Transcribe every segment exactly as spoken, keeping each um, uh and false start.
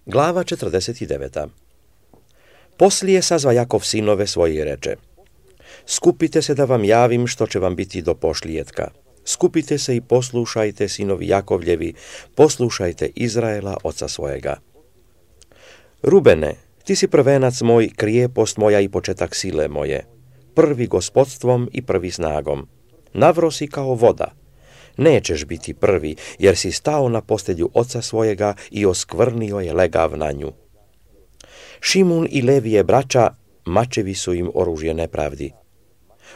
Glava četrdeset devet. Poslije sazva Jakov sinove svoje i reče: Skupite se da vam javim što će vam biti do pošlijetka. Skupite se i poslušajte, sinovi Jakovljevi, poslušajte Izraela, oca svojega. Rubene, ti si prvenac moj, krijepost moja i početak sile moje, prvi gospodstvom i prvi snagom. Navro si kao voda. Nećeš biti prvi, jer si stao na postelju oca svojega i oskvrnio je legav na nju. Šimun i Levije braća, mačevi su im oružje nepravdi.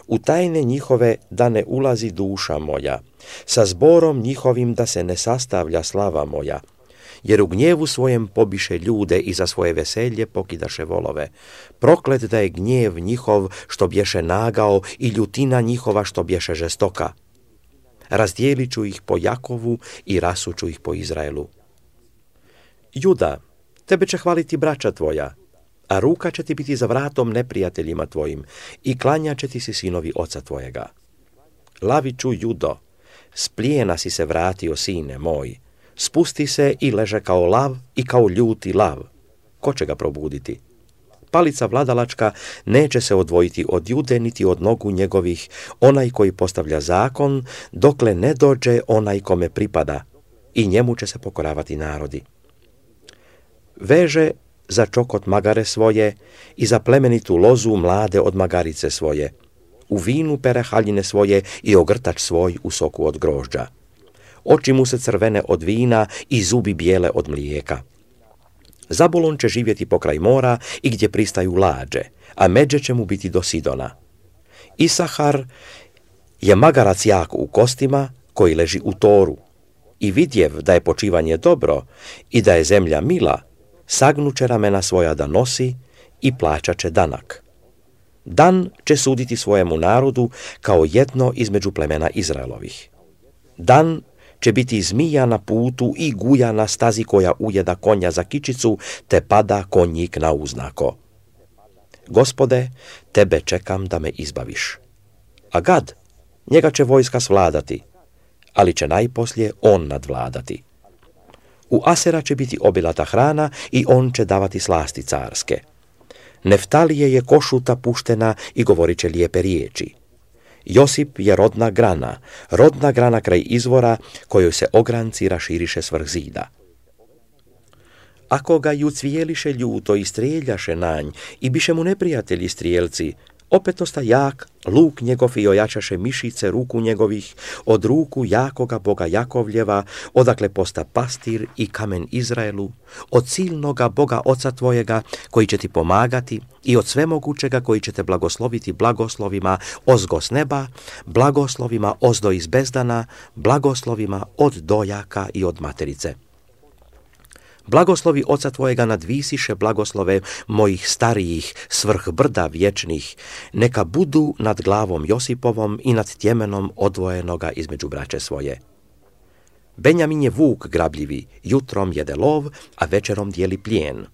U tajne njihove da ne ulazi duša moja, sa zborom njihovim da se ne sastavlja slava moja, jer u gnjevu svojem pobiše ljude i za svoje veselje pokidaše volove. Proklet da je gnjev njihov što bješe nagao i ljutina njihova što bješe žestoka. Razdijelit ću ih po Jakovu i rasuću ih po Izraelu. Juda, tebe će hvaliti braća tvoja, a ruka će ti biti za vratom neprijateljima tvojim i klanjat će ti si sinovi oca tvojega. Laviću, Judo, s plijena si se vratio, sine moj, spusti se i leže kao lav i kao ljuti lav. Ko će ga probuditi? Palica vladalačka neće se odvojiti od Jude niti od nogu njegovih, onaj koji postavlja zakon, dokle ne dođe onaj kome pripada, i njemu će se pokoravati narodi. Veže za čokot magare svoje i za plemenitu lozu mlade od magarice svoje. U vinu pere haljine svoje i ogrtač svoj u soku od grožđa. Oči mu se crvene od vina i zubi bijele od mlijeka. Zabulon će živjeti pokraj mora i gdje pristaju lađe, a međe će mu biti do Sidona. Isahar je magarac jak u kostima koji leži u toru. I vidjev da je počivanje dobro i da je zemlja mila, sagnuće ramena svoja da nosi i plaćat će danak. Dan će suditi svojemu narodu kao jedno između plemena Izraelovih. Dan će biti zmija na putu i guja na stazi koja ujeda konja za kičicu, te pada konjik na uznako. Gospode, tebe čekam da me izbaviš. A Gad, njega će vojska svladati, ali će najposlije on nadvladati. U Asera će biti obilata hrana i on će davati slasti carske. Neftalije je košuta puštena i govorit će lijepe riječi. Josip je rodna grana, rodna grana kraj izvora, kojoj se ogranci raširiše svrh zida. Ako ga ju cvijeliše ljuto i strijeljaše nanj i biše mu neprijatelji strijelci, opet osta jak, luk njegov i ojačaše mišice ruku njegovih, od ruku jakoga Boga Jakovljeva, odakle posta pastir i kamen Izraelu, od silnoga Boga oca tvojega, koji će ti pomagati, i od svemogućega koji će te blagosloviti blagoslovima ozgo s neba, blagoslovima ozdo iz bezdana, blagoslovima od dojaka i od materice. Blagoslovi oca tvojega nadvisiše blagoslove mojih starijih svrh brda vječnih, neka budu nad glavom Josipovom i nad tjemenom odvojenoga između braće svoje. Benjamin je vuk grabljivi, jutrom jede lov, a večerom dijeli plijen.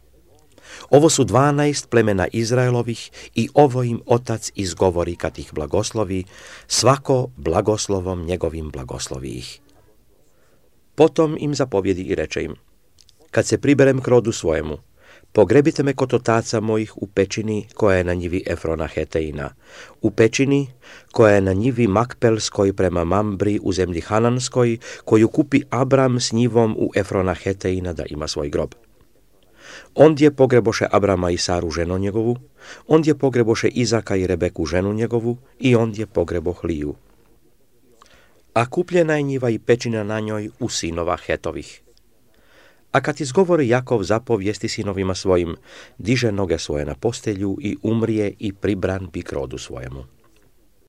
Ovo su dvanaest plemena Izraelovih i ovo im otac izgovori kad ih blagoslovi, svako blagoslovom njegovim blagoslovi ih. Potom im zapovjedi i reče im: Kad se priberem k rodu svojemu, pogrebite me kod otaca mojih u pećini koja je na njivi Efrona Heteina, u pećini koja je na njivi Makpelskoj prema Mambri u zemlji Hananskoj, koju kupi Abram s njivom u Efrona Heteina da ima svoj grob. Ondje pogreboše Abrama i Saru ženu njegovu, ondje pogreboše Izaka i Rebeku ženu njegovu i ondje pogreboh Liju. A kupljena je njiva i pećina na njoj u sinova Hetovih. A kad izgovori Jakov zapovijesti sinovima svojim, diže noge svoje na postelju i umrije i pribran bi k rodu svojemu.